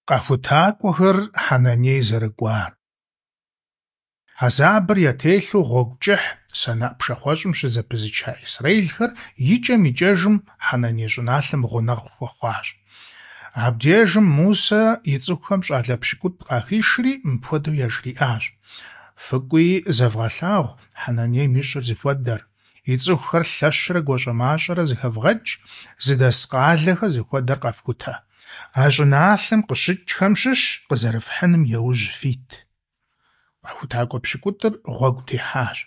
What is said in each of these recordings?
Къэхутакӏуэхэр Хьэнаней зэрыкӏуар. Хьэзабыр ятелъу гъуэгу кӏыхь Санаӏ пшахъуэщӏым щызэпызыча исрэӏилхэр икӏэм-икӏэжым Хьэнаней щӏыналъэм гъунэгъу хуэхъуащ. Абдежым Мусэ и цӏыхухэм щӏалэ пщыкӏутӏ къахишри мыпхуэдэу яжриӏащ: Фыкӏуи зэвгъэлъагъу Хьэнанейм и щӏыр зыхуэдэр, и цӏыхухэр лъэщрэ гуащӏэмащӏэрэ зэхэвгъэкӏ, зыдэс къалэхэр зыхуэдэр къэфхутэ. А щӏыналъэм къыщыкӏхэм щыщ къызэрыфхьыным яужь фит. Къэхутакӏуэ пщыкӏутӏыр гъуэгу техьащ.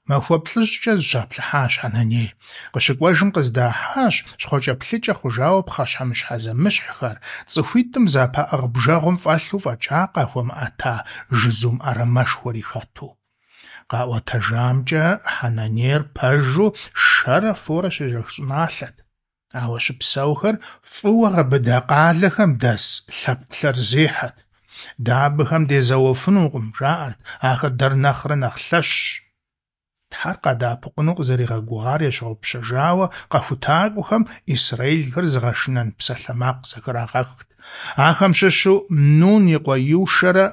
Махуэ плӏыщӏкӏэ зыщаплъыхьащ Хьэнаней. Къыщыкӏуэжым къыздахьащ щхъуэкӏэплъыкӏэ хъужауэ пхъэщхьэмыщхьэ зэмыщхьхэр, цӏыхуитӏым зэпаӏыгъ бжэгъум фӏэлъу фӏэкӏа къахуэмыӏэта жызум ӏэрамэшхуэри хэту. Къаӏуэтэжамкӏэ, Хьэнанейр пэжу шэрэ форэ щежэх щӏыналъэт. Ауэ щыпсэухэр фӏыуэ гъэбыда къалэхэм дэс лъэпкъ лъэрызехьэт. Дэ абыхэм дезэуэфынукъым, жаӏэрт, ахэр дэр нэхърэ нэхъ лъэщщ. Тхьэр къадэӏэпыкъуну къызэригъэгугъар ящыгъупщэжауэ къэхутакӏуэхэм исрэӏилхэр зыгъэшынэн псалъэмакъ зэхрагъэхт. Ахэм щыщу Нун и къуэ Йушэрэ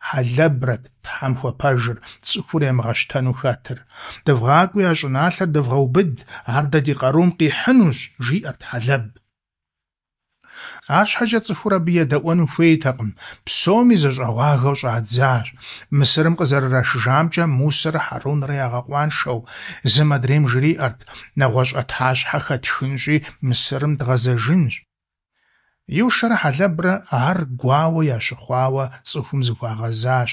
Хьэлэбрэт Тхьэм хуэпэжыр, цӏыхур ямыгъэщтэну хэтыр. Дывгъакӏуи а щӏыналъэр дывгъэубыд, ар дэ ди къарум къихьынущ, жиӏэрт Хьэлэб. Арщхьэкӏэ цӏыхур абы едэӏуэну хуейтэкъым, псоми зэщӏэгъуагэу щӏадзащ. Мысырым къызэрырашыжамкӏэ Мусэрэ Хьэрунрэ ягъэкъуаншэу, зым адрейм жриӏэрт: нэгъуэщӏ ӏэтащхьэ хэтхынщи, Мысырым дгъэзэжынщ. Йушэрэ Хьэлэбрэ ар гуауэ ящыхъуауэ цӏыхум зыхуагъэзащ: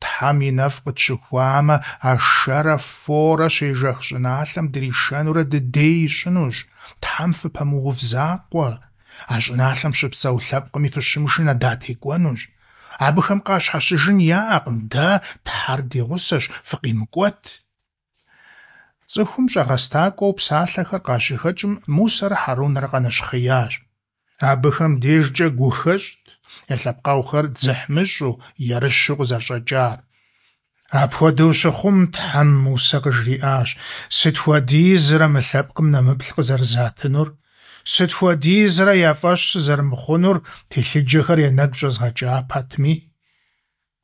Тхьэм и нэфӏ къытщыхуамэ, а шэрэ форэ щежэх щӏыналъэм дришэнурэ дыдей ищӏынущ. Тхьэм фыпэмыув закъуэ. А щӏыналъэм щыпсэу лъэпкъми фыщымышынэ, датекӏуэнущ. Абыхэм къащхьэщыжын яӏэкъым, дэ Тхьэр ди гъусэщ, фыкъимыкӏуэт. Цӏыхум щӏэгъэстакӏуэу псалъэхэр къащыхэкӏым Мусэрэ Хьэрунрэ къэнэщхъеящ. Абыхэм дежкӏэ гухэщӏт я лъэпкъэгъухэр дзыхьмыщӏу, ерыщу къызэрыщӏэкӏар. Апхуэдэу щыхъум, Тхьэм Мусэ къыжриӏащ: Сыт хуэдизрэ мы лъэпкъым нэмыплъ къызэрызатынур? Сыт хуэдизрэ я фӏэщ сызэрымыхъунур, телъыджэхэр я нэгу щӏэзгъэкӏа пэтми?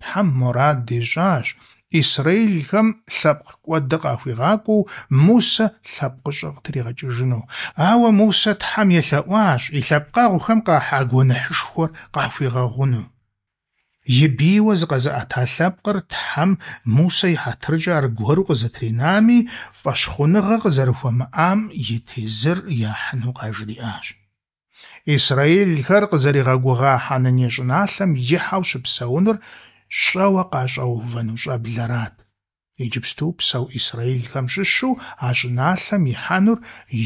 Тхьэм мурад ищӏащ исрэӏилхэм лъэпкъ кӏуэдыр къахуигъакӏуэу Мусэ лъэпкъыщӏэ къытригъэкӏыжыну. Ауэ Мусэ Тхьэм елъэӏуащ и лъэпкъэгъухэм къахьа гуэныхьышхуэр къахуигъэгъуну. И бийуэ зыкъэзыӏэта лъэпкъыр Тхьэм Мусэ и хьэтыркӏэ аргуэру къызэтринами, фӏэщхъуныгъэ къызэрыхуамыӏам и тезыр яхьыну къажриӏащ. Исрэӏилхэр къызэригъэгугъа Хьэнаней щӏыналъэм ихьэу щыпсэунур щӏэуэ къащӏэувэну щӏэблэрат. Иджыпсту псэу исрэӏилхэм щыщу а щӏыналъэм ихьэнур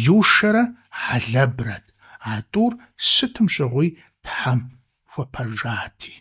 Йушэрэ Хьэлэбрэт, а тӏур сытым щыгъуи Тхьэм хуэпэжати.